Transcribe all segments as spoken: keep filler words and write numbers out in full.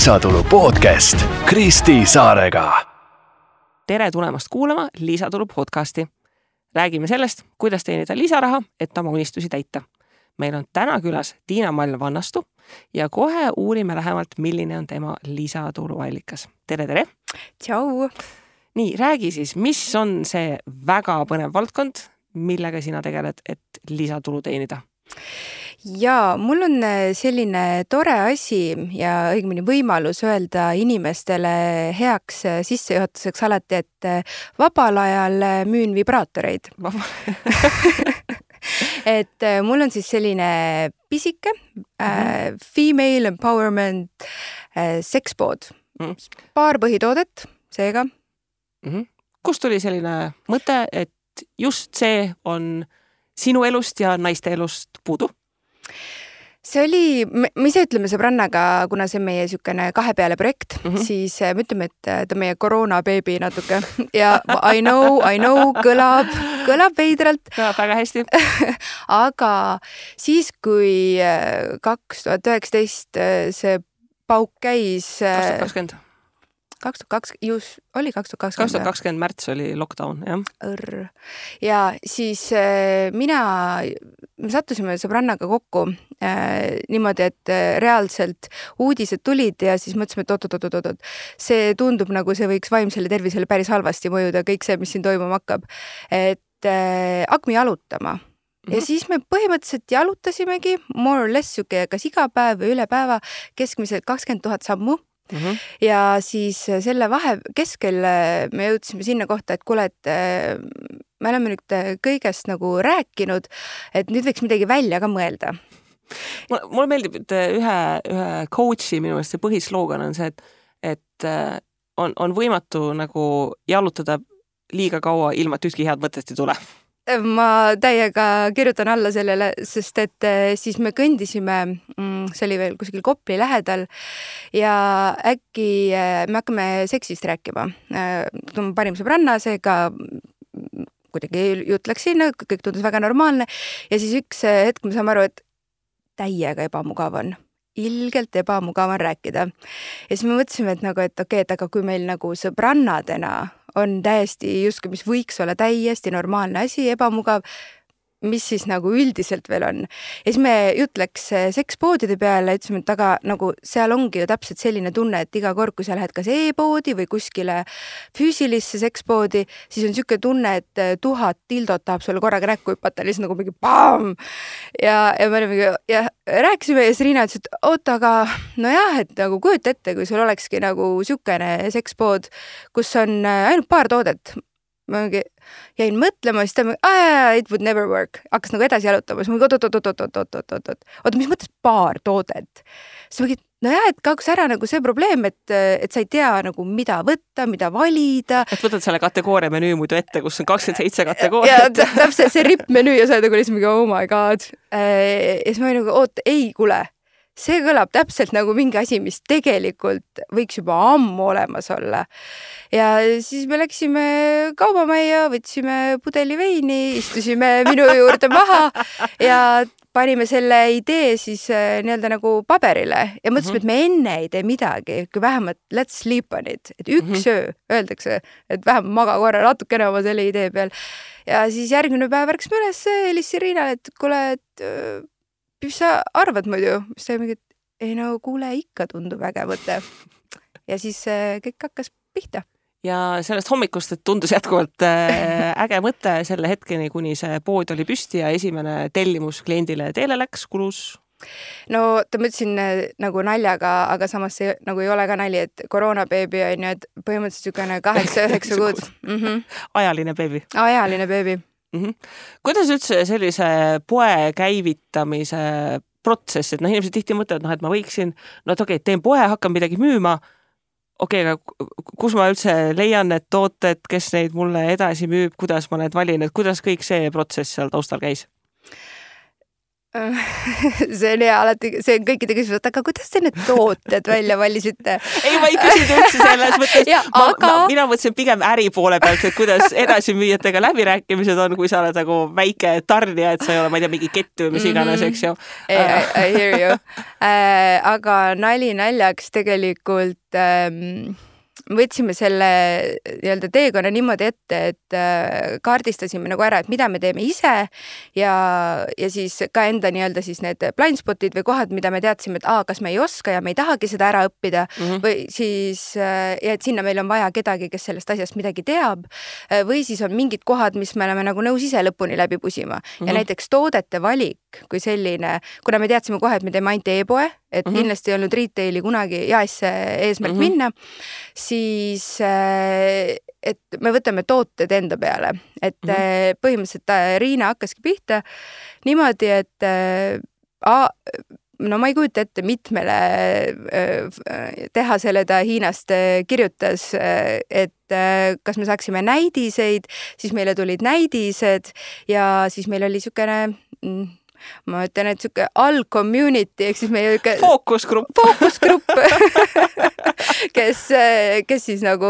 Lisatulu podcast Kristi Saarega. Tere tulemast kuulama Lisatulu podcasti. Räägime sellest, kuidas teenida lisaraha, et oma unistusi täita. Meil on täna külas Tiina Mall Vannastu ja kohe uurime lähemalt, milline on tema lisatuluallikas. Tere, tere! Tšau! Nii, räägi siis, mis on see väga põnev valdkond, millega sina tegeled, et lisatulu teenida? Jaa, mul on selline tore asi ja õigemini võimalus öelda inimestele heaks sissejuhatuseks alati, et vabal ajal müün vibraatoreid. Et mul on siis selline pisike mm-hmm. äh, female empowerment äh, sekspood. Mm-hmm. Paar põhitoodet, seega. Mm-hmm. Kust tuli selline mõte, et just see on sinu elust ja naiste elust puudu? See oli, me ise ütleme sõbrannaga, kuna see on meie sükene kahe peale projekt, mm-hmm. siis me ütleme, et ta on meie koroonabeebi natuke. Ja I know, I know, kõlab, kõlab veidralt. Kõlab väga hästi. Aga siis, kui kaks tuhat üheksateist see pauk käis... kaks tuhat kakskümmend kaks tuhat kakskümmend, just oli kaks tuhat kakskümmend. kaks tuhat kakskümmend märts oli lockdown, jah. Õrr. Ja siis äh, mina, me sattusime sõbrannaga kokku äh, niimoodi, et äh, reaalselt uudised tulid ja siis mõtlesime, et oot-oot-oot-oot, see tundub nagu see võiks vaimsele tervisele päris halvasti mõjuda, kõik see, mis siin toimuma hakkab. Et äh, hakkame jalutama. Ja mm-hmm. siis me põhimõtteliselt jalutasimegi more or less süke, kas iga päev või üle päeva keskmiselt kakskümmend tuhat sammu. Mm-hmm. Ja siis selle vahe keskel me jõudsime sinna kohta, et kuule, et me oleme nüüd kõigest nagu rääkinud, et nüüd võiks midagi välja ka mõelda. Mulle meeldib, et ühe, ühe coachi minu meelest see põhisloogan on see, et, et on, on võimatu nagu jalutada liiga kaua ilma, et ühtki head mõttest ei tule. Ma täiega kirjutan alla sellele, sest et siis me kõndisime, see oli veel kuskil Kopli lähedal ja äkki me hakkame seksist rääkima. Parim sõbranna, seega kuidagi jutt läks sinna, kõik tundus väga normaalne ja siis üks hetk me saame aru, et täiega ebamugav on. Ilgelt ebamugav on rääkida. Ja siis me mõtlesime, et, nagu, et okei, et aga kui meil nagu sõbrannadena on täiesti justkui, mis võiks olla täiesti normaalne asi, ebamugav, mis siis nagu üldiselt veel on. Ja siis me jutt läks sekspoodide peale, ütlesime, et aga nagu seal ongi ju täpselt selline tunne, et iga kord, kui sa lähed kas e-poodi või kuskile füüsilisse sekspoodi, siis on siuke tunne, et tuhat tildot tahab sulle korraga näkku hüpata, lihtsalt nagu mingi bam! Ja, ja me olime, ja rääkisime ja siis Riina ütles, et oota, aga nojah, et nagu kujuta ette, kui sul olekski nagu siukene sekspood, kus on ainult paar toodet. Ma jäin mõtlema, siis ta ah, it would never work. Hakkas nagu edasi jalutama. Siis ma oot, oot, oot, oot, oot, oot, oot, oot. Oota, mis mõttes paar toodet? Siis ma mõtlesin, no jah, et kaoks ära nagu see probleem, et, et sa ei tea nagu mida võtta, mida valida. Et võtad selle kategooria menüü muidu ette, kus on kakskümmend seitse kategooriat. Ja täpselt see ripp menüü ja sa oled nagu lihtsalt mingi, oh my god. Ja siis ma olin nagu, oot, ei, kule. See kõlab täpselt nagu mingi asi, mis tegelikult võiks juba ammu olemas olla. Ja siis me läksime kaubamajja, võtsime pudeli veini, istusime minu juurde maha ja panime selle idee siis nii-öelda nagu paberile ja mõtlesime, et me enne ei tee midagi, kui vähemalt let's sleep on it, et üks öö öeldakse, et vähemalt maga korra natukene oma selle idee peal. Ja siis järgmine päev ärksime üles, helissin Riinale, et kuule, et mis sa arvad muidu? Mis ta mingi, ei no kuule, ikka tundub äge mõte. Ja siis kõik hakkas pihta. Ja sellest hommikust, et tundus jätkuvalt äge mõte selle hetkeni, kuni see pood oli püsti ja esimene tellimus kliendile teele läks, kulus? No ta mõtlesin nagu naljaga, aga samas see nagu ei ole ka nali, et koroonabeebi on ju, et põhimõtteliselt sükene kaheksa üheksa kuud. Mm-hmm. Ajaline beebi. Ajaline beebi. Mm-hmm. Kuidas üldse sellise poe käivitamise protsess, et noh, inimesed tihti mõtlevad, noh, et ma võiksin, no et okei, okay, teen poe, hakkan midagi müüma, okei, okay, aga kus ma üldse leian need tooted, kes neid mulle edasi müüb, kuidas ma need valin, et kuidas kõik see protsess seal taustal käis? see on hea alati, see on kõikide küsimused, aga kuidas te need tooted välja valisite? Ei, ma ei küsinud üldse selles mõttes. Ja, ma, aga... ma, mina mõtlesin pigem äri poole pealt, et kuidas edasimüüjatega läbirääkimised on, kui sa oled nagu väike tarnija, et sa ei ole, ma ei tea, mingi kett või mis iganes, eks ju. I, I, I hear you. Äh, aga nali naljaks tegelikult ähm, võtsime selle nii-öelda teekonna niimoodi ette, et äh, kaardistasime nagu ära, et mida me teeme ise ja, ja siis ka enda nii-öelda siis need blindspotid või kohad, mida me teadsime, et aa, kas me ei oska ja me ei tahagi seda ära õppida mm -hmm. või siis äh, ja et sinna meil on vaja kedagi, kes sellest asjast midagi teab äh, või siis on mingid kohad, mis me oleme nagu nõus ise lõpuni läbi pusima mm -hmm. ja näiteks toodete valik kui selline, kuna me teadsime kohe, et me teeme ainult e-poe, et mm -hmm. kindlasti ei olnud retaili kunagi jaesse eesmärk mm -hmm. minna, siis et me võtame tooted enda peale. Et mm -hmm. põhimõtteliselt Riina hakkaski pihta niimoodi, et a, no ma ei kujuta ette, mitmele tehasele ta Hiinast kirjutas, et kas me saaksime näidiseid, siis meile tulid näidised ja siis meil oli niisugune ma ütlen, et siuke all-community, ehk siis meie fookusgrupp, fookusgrupp kes, kes siis nagu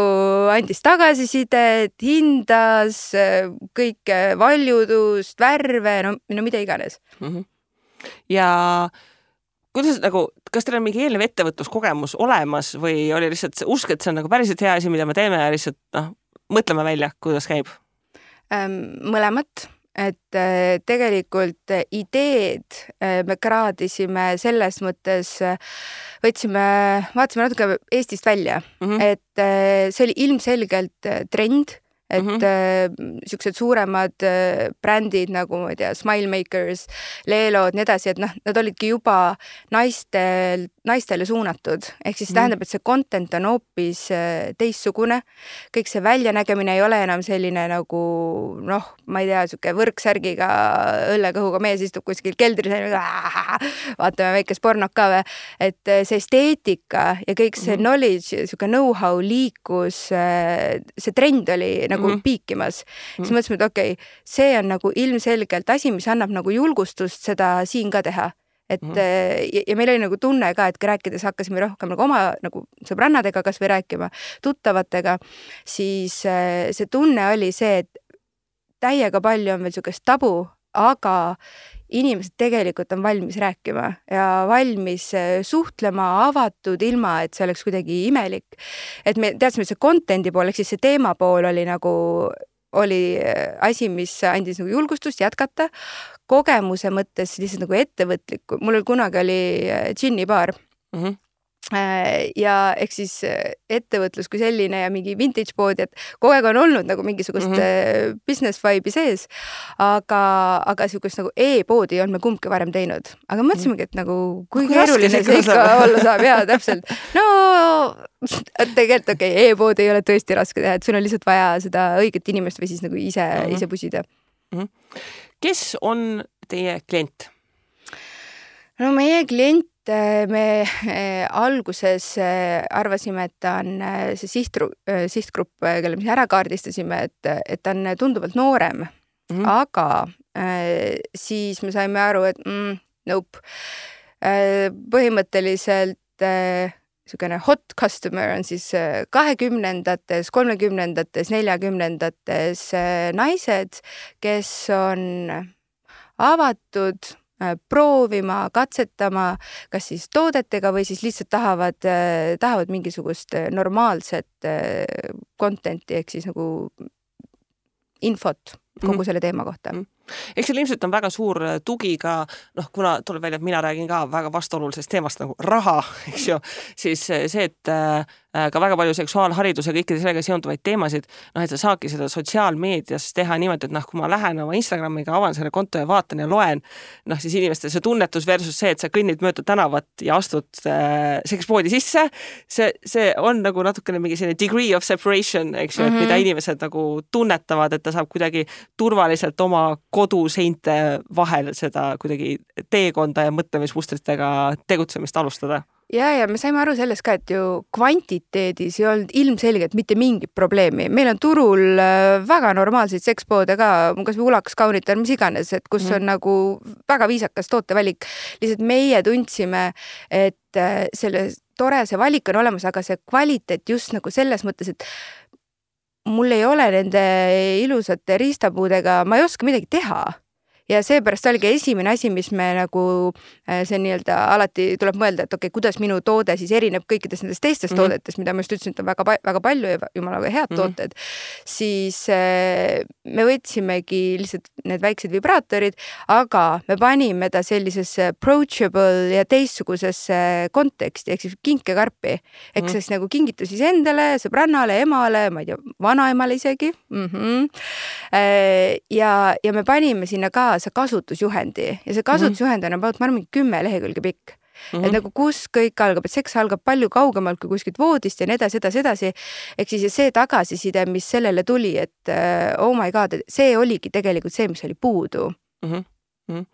andis tagasisidet, hindas kõike valjudust, värve, no, no mida iganes. Mm-hmm. Ja kuidas nagu, kas teil on mingi eelnev ettevõtluskogemus olemas või oli lihtsalt usk, et see on nagu päriselt hea asi, mida me teeme ja lihtsalt noh, mõtleme välja, kuidas käib? Mõlemat. Et tegelikult ideed me kraadisime selles mõttes, võtsime, vaatasime natuke Eestist välja, mm-hmm. et see oli ilmselgelt trend, et mm-hmm. siuksed suuremad brändid nagu, ma ei tea, Smile Makers, Leelod, nii edasi, et noh, nad olidki juba naistel, naistele suunatud. Ehk siis mm-hmm. tähendab, et see content on hoopis teissugune. Kõik see väljanägemine ei ole enam selline nagu, noh, ma ei tea, siuke võrksärgiga õllekõhuga mees istub kuskil keldris, vaatame väikest pornok ka või. Et see esteetika ja kõik see mm-hmm. knowledge, siuke know-how liikus, see trend oli nagu mm-hmm. piikimas. Siis mm-hmm. mõtlesime, et okei, okay, see on nagu ilmselgelt asi, mis annab nagu julgustust seda siin ka teha. Et mm-hmm. ja, ja meil oli nagu tunne ka, et rääkides hakkasime rohkem nagu oma nagu sõbrannadega kas või rääkima, tuttavatega, siis see tunne oli see, et täiega palju on veel niisugust tabu, aga inimesed tegelikult on valmis rääkima ja valmis suhtlema avatud ilma, et see oleks kuidagi imelik. Et me teadsime, et see contenti pool, ehk siis see teema pool oli nagu oli asi, mis andis nagu julgustust jätkata. Kogemuse mõttes lihtsalt nagu ettevõtlikku. Mul oli kunagi oli džinnibaar. Mm-hmm. Ja ehk siis ettevõtlus kui selline ja mingi vintage pood, et kogu aeg on olnud nagu mingisugust mm-hmm. business vibe'i sees, aga, aga siukest nagu e-poodi on me kumbki varem teinud. Aga mõtlesimegi, et nagu kui no, keeruline see ikka olla saab. Jaa, täpselt. No tegelikult okei, okay, e-pood ei ole tõesti raske teha, et sul on lihtsalt vaja seda õiget inimest või siis nagu ise, mm-hmm. ise pusida. Mm-hmm. Kes on teie klient? No meie klient me alguses arvasime, et ta on see sihtru, sihtgrupp, kelle me ära kaardistasime, et, et ta on tunduvalt noorem, mm-hmm. aga siis me saime aru, et mm, nope. Põhimõtteliselt niisugune hot customer on siis kahekümnendates, kolmekümnendates, neljakümnendates naised, kes on avatud proovima, katsetama, kas siis toodetega või siis lihtsalt tahavad, tahavad mingisugust normaalset contenti, ehk siis nagu infot kogu mm-hmm. selle teema kohta. Mm-hmm. Eks seal ilmselt on väga suur tugi ka, noh, kuna tuleb välja, et mina räägin ka väga vastuolulisest teemast nagu raha, eks ju, siis see, et äh, ka väga palju seksuaalharidus ja kõikide sellega seonduvaid teemasid, noh, et sa saadki seda sotsiaalmeedias teha niimoodi, et noh, kui ma lähen oma Instagramiga, avan selle konto ja vaatan ja loen, noh, siis inimestel see tunnetus versus see, et sa kõnnid mööda tänavat ja astud äh, sekspoodi sisse, see, see on nagu natukene mingi selline degree of separation, eks ju, mm-hmm. et mida inimesed nagu tunnetavad, et ta saab kuidagi turvaliselt oma koduseinte vahel seda kuidagi teekonda ja mõtlemismustritega tegutsemist alustada. ja, ja me saime aru sellest ka, et ju kvantiteedis ei olnud ilmselgelt mitte mingit probleemi. Meil on turul väga normaalseid sekspoode ka, kas või Ulakas, Kaunitar, mis iganes, et kus mm. on nagu väga viisakas tootevalik. Lihtsalt meie tundsime, et selle tore see valik on olemas, aga see kvaliteet just nagu selles mõttes, et mul ei ole nende ilusate riistapuudega, ma ei oska midagi teha. Ja seepärast oligi esimene asi, mis me nagu see nii-öelda alati tuleb mõelda, et okei, okay, kuidas minu toode siis erineb kõikidest nendest teistest mm -hmm. toodetest, mida ma just ütlesin, et on väga, väga palju ja jumala head mm -hmm. tooted, siis me võtsimegi lihtsalt need väiksed vibraatorid, aga me panime ta sellisesse approachable ja teistsugusesse konteksti, ehk siis kinkekarpi. Ehk mm -hmm. siis nagu kingitus siis endale, sõbrannale, emale, ma ei tea, vanaemale isegi. Mm -hmm. ja, ja me panime sinna ka see kasutusjuhendi ja see kasutusjuhend on about, ma arvan, kümme lehekülge pikk. Mm -hmm. Et nagu kus kõik algab, et seks algab palju kaugemalt kui kuskilt voodist ja nii edasi, edasi, edasi. Ehk siis see tagasiside, mis sellele tuli, et oh my god, see oligi tegelikult see, mis oli puudu. Mm -hmm.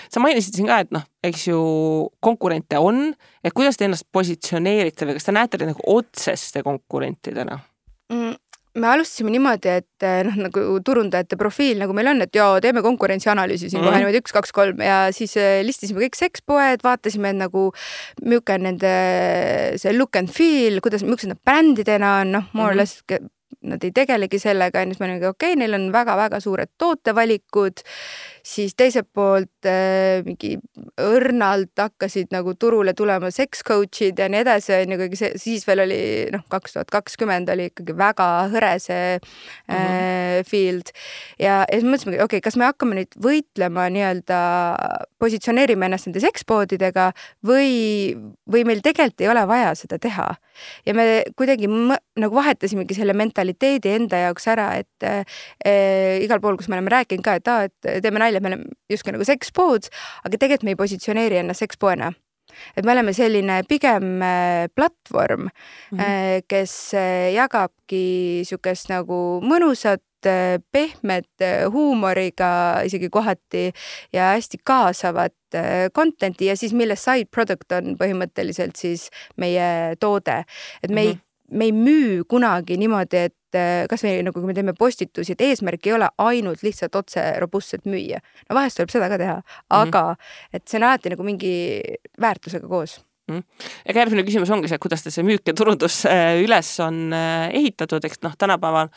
Sa mainisid siin ka, et noh, eks ju konkurente on, et kuidas te ennast positsioneerite või kas te näete nagu otseste konkurentidena? Mm. Me alustasime niimoodi, et noh, nagu turundajate profiil, nagu meil on, et joo, teeme konkurentsianalüüsi siin mm. kohe niimoodi üks, kaks, kolm ja siis listisime kõik sekspoed, vaatasime, et nagu milline on nende see look and feel, kuidas, millised nad brändidena on, noh, more or less nad ei tegelegi sellega, ja siis me olime, okei, okay, neil on väga-väga suured tootevalikud, siis teiselt poolt äh, mingi õrnalt hakkasid nagu turule tulema sex coach'id ja nii edasi, nagu see, siis veel oli, noh, kaks tuhat kakskümmend oli ikkagi väga hõre see äh, mm-hmm. field. Ja, ja siis mõtlesime, okei, okay, kas me hakkame nüüd võitlema nii-öelda, positsioneerime ennast nende sexpoodidega või, või meil tegelikult ei ole vaja seda teha. Ja me kuidagi m- nagu vahetasimegi selle mentaliteedi enda jaoks ära, et äh, igal pool, kus me oleme rääkinud ka, et, aa, et teeme nalja, me oleme justkui nagu sekspood, aga tegelikult me ei positsioneeri ennast sekspoena. Et me oleme selline pigem platvorm, mm-hmm. kes jagabki sükest nagu mõnusat, pehmet huumoriga isegi kohati ja hästi kaasavat contenti ja siis mille side product on põhimõtteliselt siis meie toode. Et me, mm-hmm. ei, me ei müü kunagi niimoodi, et kas me, nagu kui me teeme postitusi, et eesmärk ei ole ainult lihtsalt otse robustselt müüa. No vahest tuleb seda ka teha, aga mm-hmm. et see on alati nagu mingi väärtusega koos. Mm. Ja järgmine küsimus ongi see, kuidas te see müük ja turundus üles on ehitatud, eks noh, tänapäeval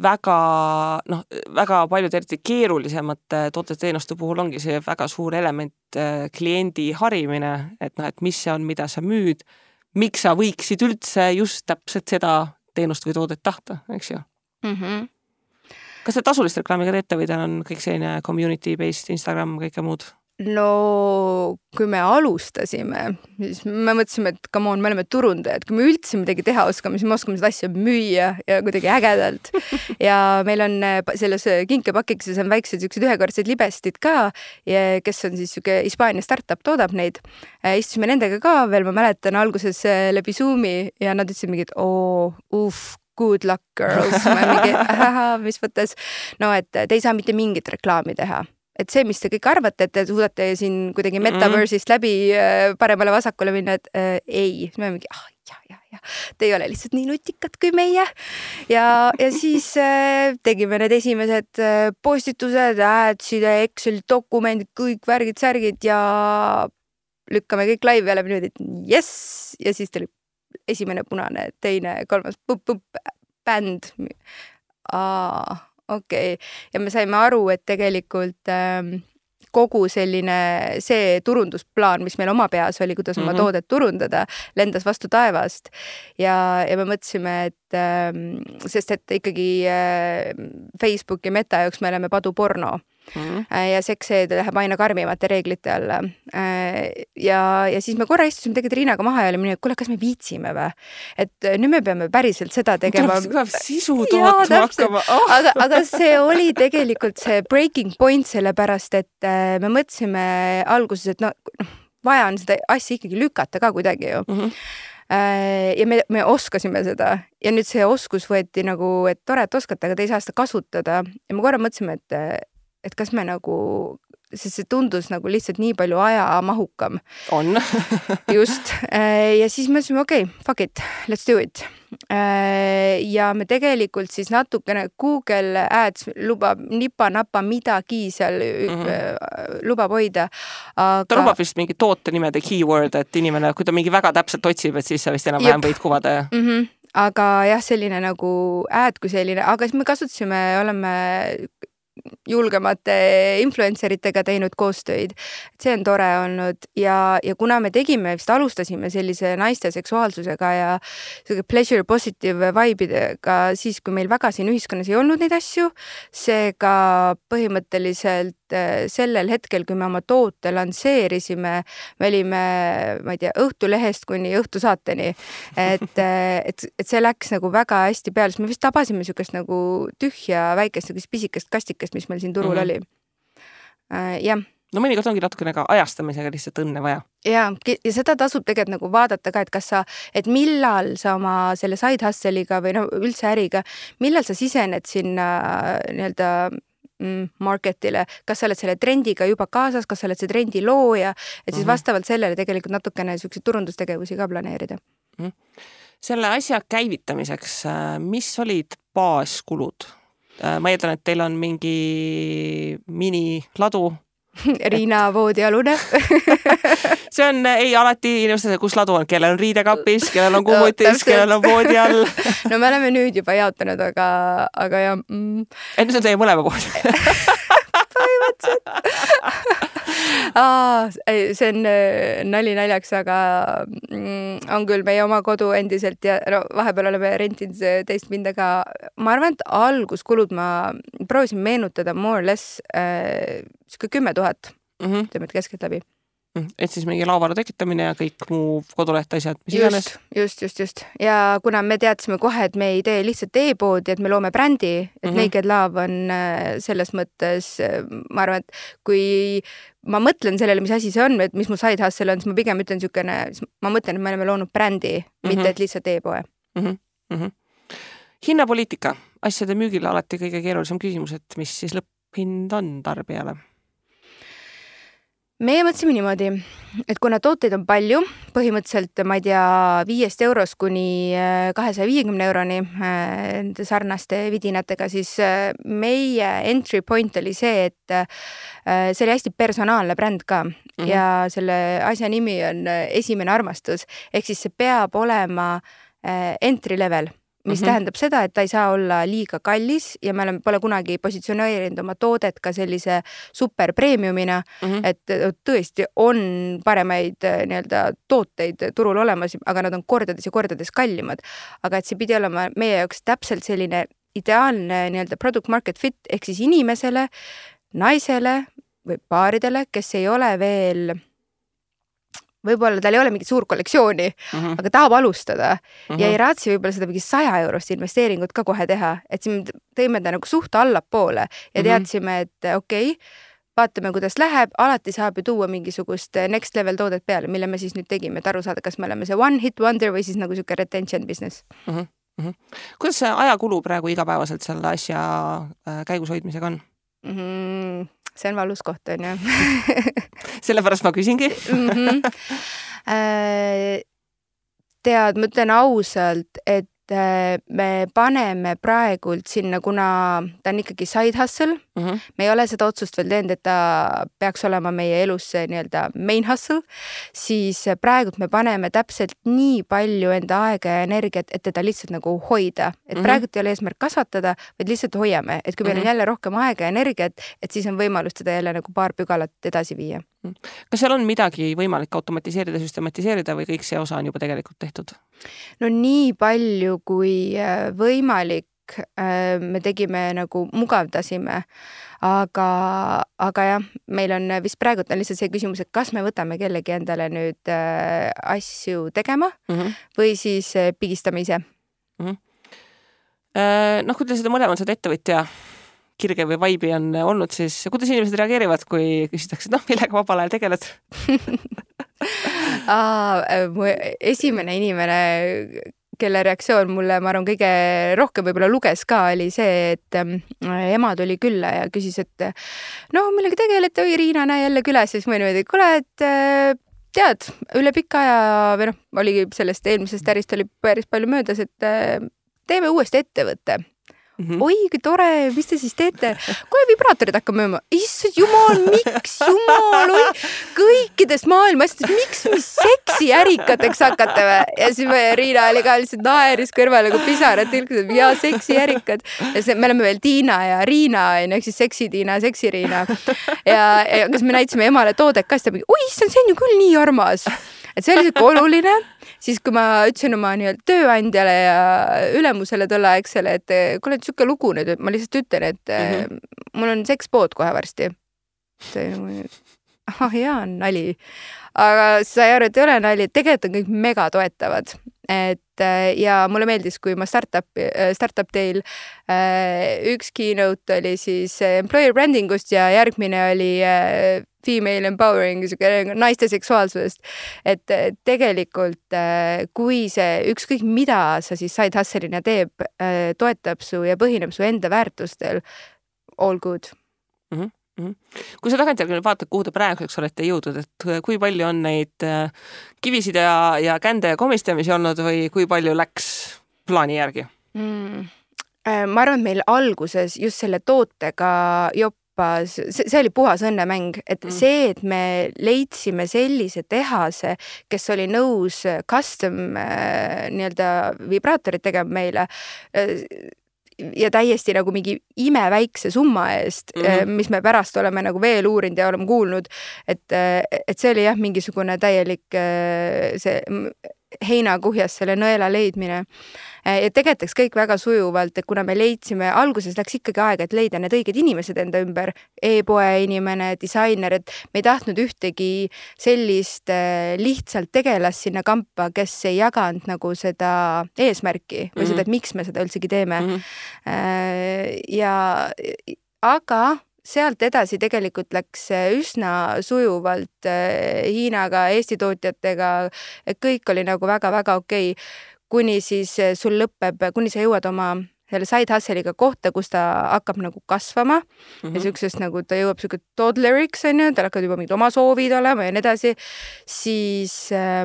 väga, noh, väga paljud eriti keerulisemate toodeteenuste puhul ongi see väga suur element kliendi harimine, et noh, et mis see on, mida sa müüd, miks sa võiksid üldse just täpselt seda teenust või toodet tahta, eks ju? Mm-hmm. Kas te tasulist reklaamiga teete või teil on kõik selline community-based Instagram, kõike muud? No kui me alustasime, siis me mõtlesime, et come on, me oleme turundajad, kui me üldse midagi teha oskame, siis me oskame seda asja müüa ja kuidagi ägedalt. Ja meil on selles kinkepakikises on väiksed siuksed ühekordsed libestid ka, kes on siis siuke Hispaania startup toodab neid. Istusime nendega ka veel, ma mäletan alguses läbi Zoomi ja nad ütlesid mingi, et oo, uff, good luck girls. Mingi, aha, mis võttes, no et te ei saa mitte mingit reklaami teha. Et see, mis te kõik arvate, et te suudate siin kuidagi metaverse'ist läbi paremale vasakule minna, et äh, ei. Me mingi, ah, ja, ja, ja. Te ei ole lihtsalt nii nutikad kui meie. Ja, ja siis äh, tegime need esimesed äh, postitused, adsid, Excel dokumendid, kõik värgid, särgid ja lükkame kõik laivi ja läbi nüüd, et yes! Ja siis tuli esimene punane, teine, kolmas, pup, pup, bänd. Aa... okei, okay. Ja me saime aru, et tegelikult ähm, kogu selline see turundusplaan, mis meil oma peas oli, kuidas oma mm-hmm. toodet turundada, lendas vastu taevast ja, ja me mõtlesime, et ähm, sest et ikkagi äh, Facebook ja Meta jaoks me oleme padu porno mm-hmm. äh, ja sekseed läheb aina karmimate reeglite alla äh, ja, ja siis me korra istusime tegelikult Riinaga maha ja olime, et kuule, kas me viitsime või? Et nüüd me peame päriselt seda tegema. Tuleb sisu tootma hakkama. Oh. Aga, aga see oli tegelikult see breaking point selle pärast, et me mõtlesime alguses, et no, vaja on seda asja ikkagi lükata ka kuidagi ju. Mm-hmm. Ja me, me oskasime seda ja nüüd see oskus võeti nagu, et tore, et oskate, aga te ei saa seda kasutada ja me korra mõtlesime, et, et kas me nagu sest see tundus nagu lihtsalt nii palju ajamahukam. On. Just. Ja siis me mõtlesime, okei, okay, fuck it, let's do it. Ja me tegelikult siis natukene Google Ads lubab nipa-napa midagi seal mm-hmm. lubab hoida. Aga... Ta lubab vist mingi toote nimede keyword, et inimene, kui ta mingi väga täpselt otsib, et siis sa vist enam vähem võid kuvada. Mm-hmm. Aga jah, selline nagu ad kui selline, aga siis me kasutasime, oleme julgemate influenceritega teinud koostöid. See on tore olnud ja, ja kuna me tegime, vist alustasime sellise naiste seksuaalsusega ja pleasure positive vibe'idega siis, kui meil väga siin ühiskonnas ei olnud neid asju, seega põhimõtteliselt sellel hetkel, kui me oma toote lansseerisime, me olime, ma ei tea, õhtulehest kuni õhtusaateni, et, et, et see läks nagu väga hästi peale, sest me vist tabasime sükest nagu tühja väikest, nagu pisikest kastikest, mis meil siin turul mm-hmm. oli. Äh, jah. No mõnikord ongi natukene ka ajastamisega lihtsalt õnne vaja. Ja, ja seda tasub tegelikult nagu vaadata ka, et kas sa, et millal sa oma selle side hustle'iga või no üldse äriga, millal sa sisened sinna nii-öelda marketile, kas sa oled selle trendiga juba kaasas, kas sa oled see trendi looja, et siis mm-hmm. vastavalt sellele tegelikult natukene selliseid turundustegevusi ka planeerida. Mm-hmm. Selle asja käivitamiseks, mis olid baaskulud? Ma eeldan, et teil on mingi miniladu. Riina voodialune. See on, ei alati inimesed, kus ladu on, kellel on riidekapis, kellel on kummutis, no, kellel on voodi all. No me oleme nüüd juba jaotanud, aga, aga jah. Mm. Et see on teie mõlema voodi. Põhimõtteliselt. Aa, see on nali naljaks, aga on küll meie oma kodu endiselt ja no, vahepeal oleme rentinud teist pinda ka. Ma arvan, et alguskulud ma proovisin meenutada more or less äh, kümme tuhat mm-hmm. teemed keskelt läbi. Et siis mingi laavaru tekitamine ja kõik muu koduleht asjad, mis iganes. Just, just, just. Ja kuna me teadsime kohe, et me ei tee lihtsalt e-poodi, et me loome brändi, et mm-hmm. Naked Love on selles mõttes, ma arvan, et kui ma mõtlen sellele, mis asi see on, et mis mu side hustle on, siis ma pigem ütlen sükene, ma mõtlen, et me oleme loonud brändi, mm-hmm. mitte et lihtsalt e-poe. Mm-hmm. Mm-hmm. Hinnapoliitika, asjade müügile alati kõige keerulisem küsimus, et mis siis lõpphind on tarbijale? Meie mõtlesime niimoodi, et kuna tooteid on palju, põhimõtteliselt, ma ei tea, viiest eurost kuni kahesaja viiekümne euroni nende sarnaste vidinatega, siis meie entry point oli see, et see oli hästi personaalne bränd ka mm-hmm. ja selle asja nimi on esimene armastus, ehk siis see peab olema entry level. Mis mm-hmm. tähendab seda, et ta ei saa olla liiga kallis ja me oleme, pole kunagi positsioneerinud oma toodet ka sellise super premiumina, mm-hmm. et tõesti on paremaid nii-öelda tooteid turul olemas, aga nad on kordades ja kordades kallimad. Aga et see pidi olema meie jaoks täpselt selline ideaalne nii-öelda product market fit, ehk siis inimesele, naisele või paaridele, kes ei ole veel... võib-olla tal ei ole mingit suur kollektsiooni, mm-hmm. aga tahab alustada mm-hmm. ja ei raatsi võib-olla seda mingi saja eurost investeeringut ka kohe teha, et siin tõime ta nagu suht allapoole ja teadsime, et okei, okay, vaatame, kuidas läheb, alati saab ju tuua mingisugust next level toodet peale, mille me siis nüüd tegime, et aru saada, kas me oleme see one hit wonder või siis nagu siuke retention business. Mm-hmm. Mm-hmm. Kuidas see ajakulu praegu igapäevaselt selle asja käigus hoidmisega on? Mm-hmm. See on valus koht, on ju. Sellepärast ma küsingi. mm-hmm. Tead, ma ütlen ausalt, et me paneme praegult sinna, kuna ta on ikkagi side hustle. Mm-hmm. Me ei ole seda otsust veel teinud, et ta peaks olema meie elus nii-öelda main hustle, siis praegult me paneme täpselt nii palju enda aega ja energiat, et teda lihtsalt nagu hoida. Et mm-hmm. praegult ei ole eesmärk kasvatada, vaid lihtsalt hoiame. Et kui meil mm-hmm. on jälle rohkem aega ja energiat, et siis on võimalus seda jälle nagu paar pügalat edasi viia. Kas seal on midagi võimalik automatiseerida, süstematiseerida või kõik see osa on juba tegelikult tehtud? No nii palju kui võimalik me tegime nagu mugavdasime, aga, aga jah, meil on vist praegu on lihtsalt see küsimus, et kas me võtame kellegi endale nüüd asju tegema mm-hmm. või siis pigistame ise. Mm-hmm. Noh, kui te seda mõlemad seda ettevõtja kirge või vaibi on olnud, siis kuidas inimesed reageerivad, kui küsitakse, noh, millega vabal ajal tegeled? Aa, mu esimene inimene, kelle reaktsioon mulle, ma arvan, kõige rohkem võib-olla luges ka, oli see, et ema tuli külla ja küsis, et no millega tegelete, oi Riina, näe jälle külas, siis ma niimoodi, kuule, et tead, üle pika aja, või noh, oligi sellest eelmisest ärist oli päris palju möödas, et teeme uuesti ettevõtte. Mm-hmm. Oi, kui tore, mis te siis teete? Kohe vibraatorid hakkab müüma. Issand jumal, miks jumal, oi, kõikidest maailma asjadest, miks mis seksi ärikateks hakata või? Ja siis Riina oli ka lihtsalt naeris kõrvale, kui pisarad tilkused, ja seksi ärikad. Ja see, me oleme veel Tiina ja Riina, ehk siis seksi Tiina, seksi Riina. Ja, ja kas me näitasime emale toodet ka, siis ta mingi, oi, issand, see on ju küll nii armas. Et see oli siuke oluline, siis kui ma ütlesin oma nii-öelda tööandjale ja ülemusele tolleaegsele, et kuule, et siuke lugu nüüd, ma lihtsalt ütlen, et mm-hmm. mul on sekspood kohe varsti. Ah, hea on nali. Aga sai aru, et ei ole nali, et tegelikult on kõik mega toetavad. Et ja mulle meeldis, kui ma startup, startup teil üks keynote oli siis employer brandingust ja järgmine oli female empowering, naiste seksuaalsusest. Et tegelikult kui see ükskõik mida sa siis side hustle'ina teeb, toetab su ja põhineb su enda väärtustel, all good. Mm-hmm. Kui sa tagantjärgi vaatad, kuhu te praeguseks olete jõudnud, et kui palju on neid kivisid ja, ja kände ja komistamisi olnud või kui palju läks plaani järgi? Mm. Ma arvan, et meil alguses just selle tootega joppas, see, see oli puhas õnnemäng, et mm. see, et me leidsime sellise tehase, kes oli nõus custom nii-öelda vibraatorid tegema meile, ja täiesti nagu mingi imeväikse summa eest, mm-hmm. mis me pärast oleme nagu veel uurinud ja oleme kuulnud, et, et see oli jah, mingisugune täielik see heinakuhjas selle nõela leidmine. Ja tegetaks kõik väga sujuvalt, et kuna me leidsime, alguses läks ikkagi aega, et leida need õiged inimesed enda ümber, e-poe inimene, disainer, et me ei tahtnud ühtegi sellist lihtsalt tegelast sinna kampa, kes ei jaganud nagu seda eesmärki või mm-hmm. seda, et miks me seda üldsegi teeme. Mm-hmm. Ja, aga sealt edasi tegelikult läks üsna sujuvalt Hiinaga, Eesti tootjatega, et kõik oli nagu väga-väga okei, kuni siis sul lõpeb, kuni sa jõuad oma selle side hustle'iga kohta, kus ta hakkab nagu kasvama mm-hmm. ja süksest nagu ta jõuab siuke toddleriks, on ju, tal hakkavad juba mingid oma soovid olema ja nii edasi, siis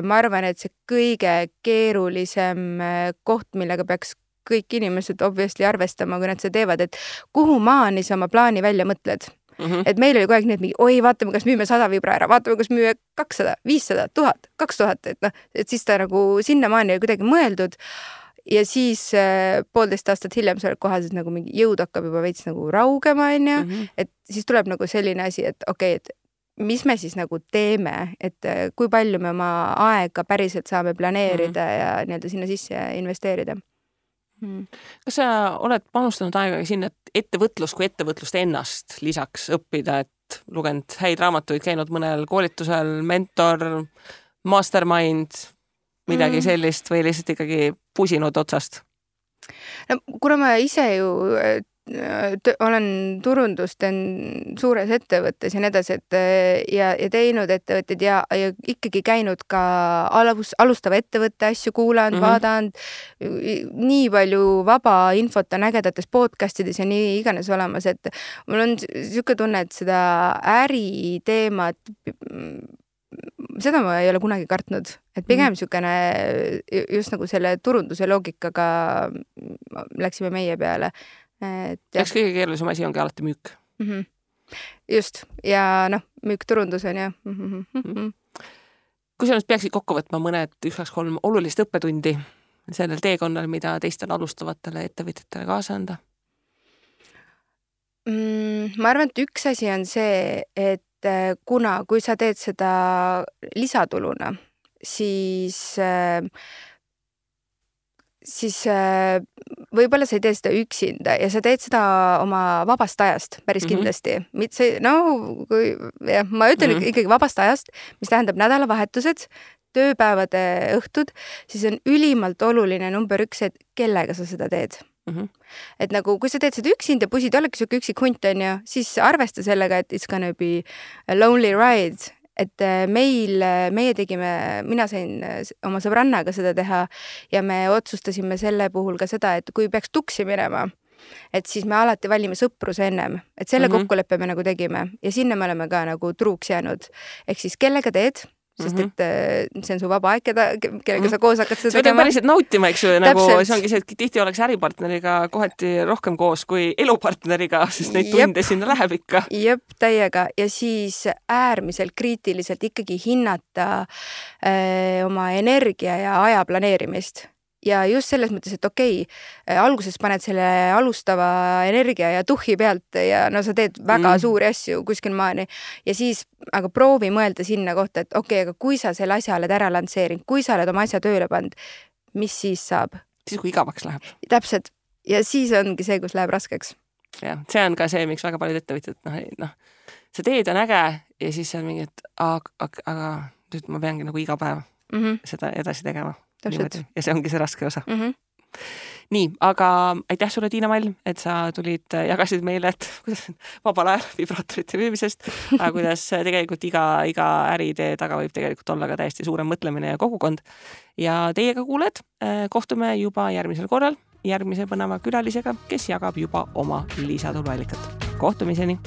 ma arvan, et see kõige keerulisem koht, millega peaks kõik inimesed obviously arvestama, kui nad seda teevad, et kuhu maani sa oma plaani välja mõtled. Mm-hmm. Et meil oli kogu aeg nii, et mingi, oi, vaatame, kas müüme sada vibra ära, vaatame, kas müüme kakssada, viissada, tuhat, kaks tuhat, et noh, et siis ta nagu sinna maani oli kuidagi mõeldud ja siis äh, poolteist aastat hiljem sa oled kohas, et nagu mingi jõud hakkab juba veits nagu raugema, on ju, mm-hmm. et siis tuleb nagu selline asi, et okei, okay, et mis me siis nagu teeme, et kui palju me oma aega päriselt saame planeerida mm-hmm. ja nii-öelda sinna sisse investeerida. Hmm. Kas sa oled panustanud aega sinna, et ettevõtlus kui ettevõtlust ennast lisaks õppida, et lugenud häid raamatuid, käinud mõnel koolitusel, mentor, mastermind, midagi sellist või lihtsalt ikkagi pusinud otsast? No, kuna ma ise ju olen turundust teen suures ettevõttes ja nii edasi, et ja, ja teinud ettevõtted ja, ja ikkagi käinud ka alus, alustava ettevõtte asju kuulanud, mm-hmm. vaadanud, nii palju vaba infot on ägedates podcastides ja nii iganes olemas, et mul on siuke tunne, et seda äriteemat seda ma ei ole kunagi kartnud, et pigem mm. siukene just nagu selle turunduse loogikaga läksime meie peale. Eks kõige keerulisem asi ongi alati müük. Mm-hmm. Just, ja noh, müük turundus on ju. Mm-hmm. Kui sa nüüd peaksid kokku võtma mõned üks, kaks, kolm olulist õppetundi sellel teekonnal, mida teistele alustavatele ettevõtjatele kaasa anda? Mm, ma arvan, et üks asi on see, et kuna, kui sa teed seda lisatuluna, siis siis võib-olla sa ei tee seda üksinda ja sa teed seda oma vabast ajast päris mm-hmm. kindlasti. Mitte, no, kui, jah, ma ütlen mm-hmm. ikkagi vabast ajast, mis tähendab nädalavahetused, tööpäevade õhtud, siis on ülimalt oluline number üks, et kellega sa seda teed. Mm-hmm. Et nagu, kui sa teed seda üksinda, pusid ollegi siuke üksik hunt on ju, siis arvesta sellega, et it's gonna be a lonely ride. et meil, meie tegime, mina sain oma sõbrannaga seda teha ja me otsustasime selle puhul ka seda, et kui peaks tuksi minema, et siis me alati valime sõpruse ennem, et selle mm-hmm. kokkuleppe me nagu tegime ja sinna me oleme ka nagu truuks jäänud. Ehk siis kellega teed, sest et see on su vaba aeg, keda, kellega sa koos hakkad seda tegema. See on päriselt nautima, eks ju, nagu Täpselt. See ongi see, et tihti oleks äripartneriga kohati rohkem koos kui elupartneriga, sest neid tunde Jep. sinna läheb ikka. Jep, täiega. Ja siis äärmiselt kriitiliselt ikkagi hinnata öö, oma energia ja aja planeerimist. Ja just selles mõttes, et okei, alguses paned selle alustava energia ja tuhhi pealt ja no sa teed väga mm. suuri asju kuskil maani ja siis aga proovi mõelda sinna kohta, et okei, aga kui sa selle asja oled ära lansseerinud, kui sa oled oma asja tööle pannud, mis siis saab? Siis kui igavaks läheb. Täpselt. Ja siis ongi see, kus läheb raskeks. Ja, see on ka see, miks väga paljud ettevõtjad, noh, noh, see teed on äge ja siis on mingi, et aga, aga nüüd ma peangi nagu iga päev mm-hmm. seda edasi tegema. Ja see ongi see raske osa. Mm-hmm. Nii, aga aitäh sulle, Tiina Mall, et sa tulid, jagasid meile, et kuidas vabal ajal vibraatorite müümisest, aga kuidas tegelikult iga, iga äriidee taga võib tegelikult olla ka täiesti suurem mõtlemine ja kogukond. Ja teiega kuuled, kohtume juba järgmisel korral järgmise põneva külalisega, kes jagab juba oma lisatuluallikat. Kohtumiseni!